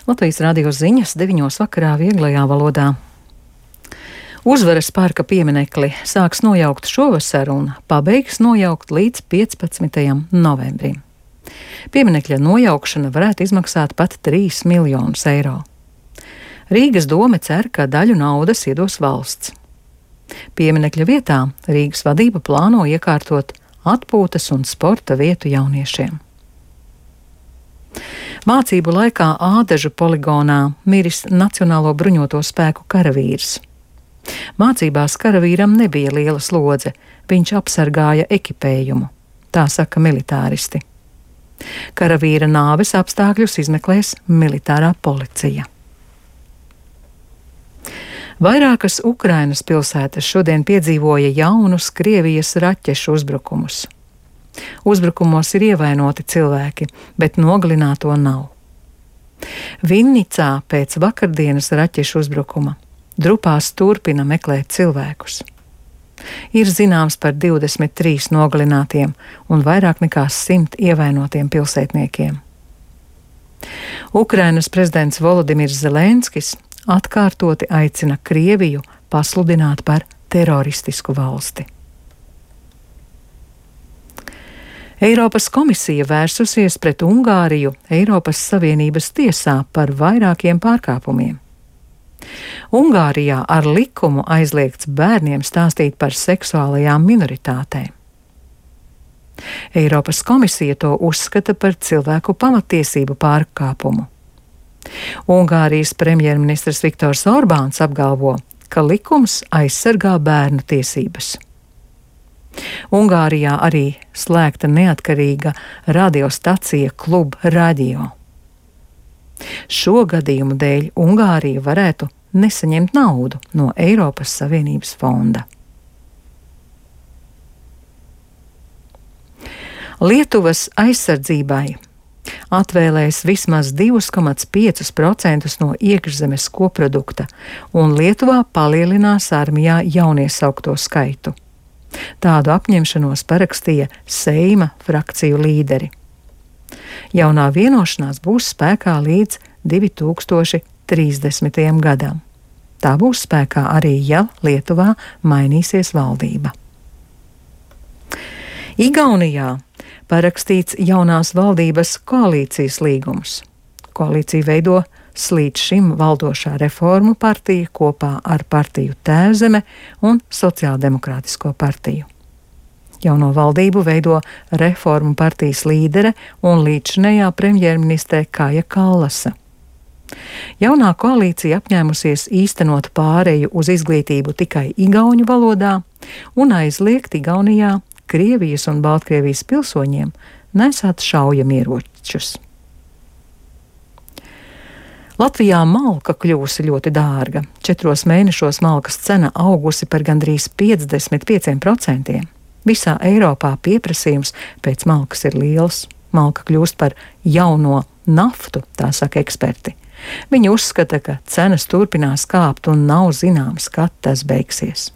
Latvijas radio ziņas 9 vakarā vieglajā valodā. Uzvaras parka pieminekli sāks nojaukt šovasar un pabeigs nojaukt līdz 15. novembrim. Pieminekļa nojaukšana varētu izmaksāt pat 3 miljonus eiro. Rīgas dome cer, ka daļu naudas iedos valsts. Pieminekļa vietā Rīgas vadība plāno iekārtot atpūtas un sporta vietu jauniešiem. Mācību laikā Ādažu poligonā miris Nacionālo bruņoto spēku karavīrs. Mācībās karavīram nebija liela slodze, viņš apsargāja ekipējumu, tā saka militāristi. Karavīra nāves apstākļus izmeklēs militārā policija. Vairākas Ukrainas pilsētas šodien piedzīvoja jaunus Krievijas raķešu uzbrukumus. Uzbrukumos ir ievainoti cilvēki, bet nogalināto nav. Vinnicā pēc vakardienas raķešu uzbrukuma drupās turpina meklēt cilvēkus. Ir zināms par 23 nogalinātiem un vairāk nekā 100 ievainotiem pilsētniekiem. Ukrainas prezidents Volodimirs Zelenskis atkārtoti aicina Krieviju pasludināt par teroristisku valsti. Eiropas komisija vērsusies pret Ungāriju Eiropas Savienības tiesā par vairākiem pārkāpumiem. Ungārijā ar likumu aizliegts bērniem stāstīt par seksuālajām minoritātēm. Eiropas komisija to uzskata par cilvēku pamatiesību pārkāpumu. Ungārijas premjerministrs Viktors Orbāns apgalvo, ka likums aizsargā bērnu tiesības. Ungārijā arī slēgta neatkarīga radiostacija Klub Radio. Šo gadījumu dēļ Ungārija varētu nesaņemt naudu no Eiropas Savienības fonda. Lietuvas aizsardzībai atvēlēs vismaz 2,5% no iekšzemes koprodukta, un Lietuvā palielinās armijā jauniesaukto skaitu. Tādu apņemšanos parakstīja Seima frakciju līderi. Jaunā vienošanās būs spēkā līdz 2030. gadam. Tā būs spēkā arī, ja Lietuvā mainīsies valdība. Igaunijā parakstīts jaunās valdības koalīcijas līgums. Koalīciju veido līdz šim valdošā Reformu partija kopā ar partiju Tēvzeme un Sociāldemokrātisko partiju. Jauno valdību veido Reformu partijas līdere un līdzinējā premjerministre Kaja Kallasa. Jaunā koalīcija apņēmusies īstenot pāreju uz izglītību tikai igauņu valodā un aizliegt Igaunijā Krievijas un Baltkrievijas pilsoņiem nesāt šaujamieročus. Latvijā malka kļūsi ļoti dārga. 4 mēnešos malkas cena augusi par gandrīz 55%. Visā Eiropā pieprasījums pēc malkas ir liels. Malka kļūst par jauno naftu, tā saka eksperti. Viņi uzskata, ka cenas turpinās kāpt un nav zināms, kad tas beigsies.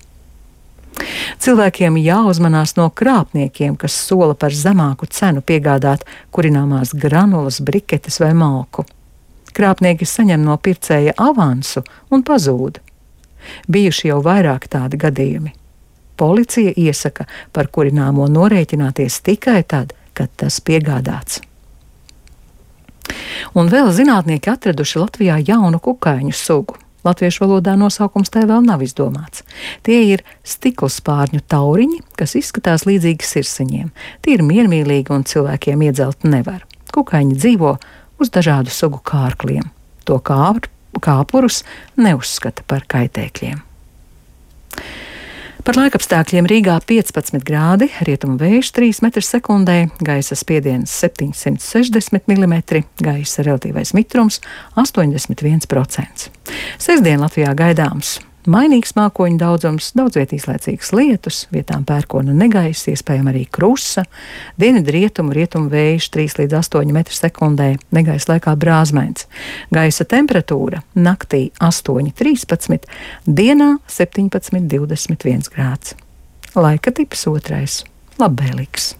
Cilvēkiem jāuzmanās no krāpniekiem, kas sola par zemāku cenu piegādāt kurināmās granulas, briketes vai malku. Krāpnieki saņem no pircēja avansu un pazūd. Bijuši jau vairāk tādi gadījumi. Policija iesaka par kurināmo norēķināties tikai tad, kad tas piegādāts. Un vēl zinātnieki atraduši Latvijā jaunu kukaiņu sugu. Latviešu valodā nosaukums tai vēl nav izdomāts. Tie ir stiklspārņu tauriņi, kas izskatās līdzīgi sirsiņiem. Tie ir miermīlīgi un cilvēkiem iedzelt nevar. Kukaiņi dzīvo uz dažādu sugu kārkliem. To kāpurus neuzskata par kaitēkļiem. Par laikapstākļiem Rīgā 15 grādi, rietumu vējš 3 m/sekundē, gaisa spiediens 760 mm, gaisa relatīvais mitrums 81%. Sestdien Latvijā gaidāms mainīgs mākoņu daudzums, daudzviet īslaicīgas lietus, vietām pērkona negaisa, iespējama arī krusa, dienvidrietumu vējš 3 līdz 8 m/sekundē, negaisa laikā brāzmēns. Gaisa temperatūra naktī 8,13, dienā 17,21 grāds. Laika tips 2. labvēlīgs.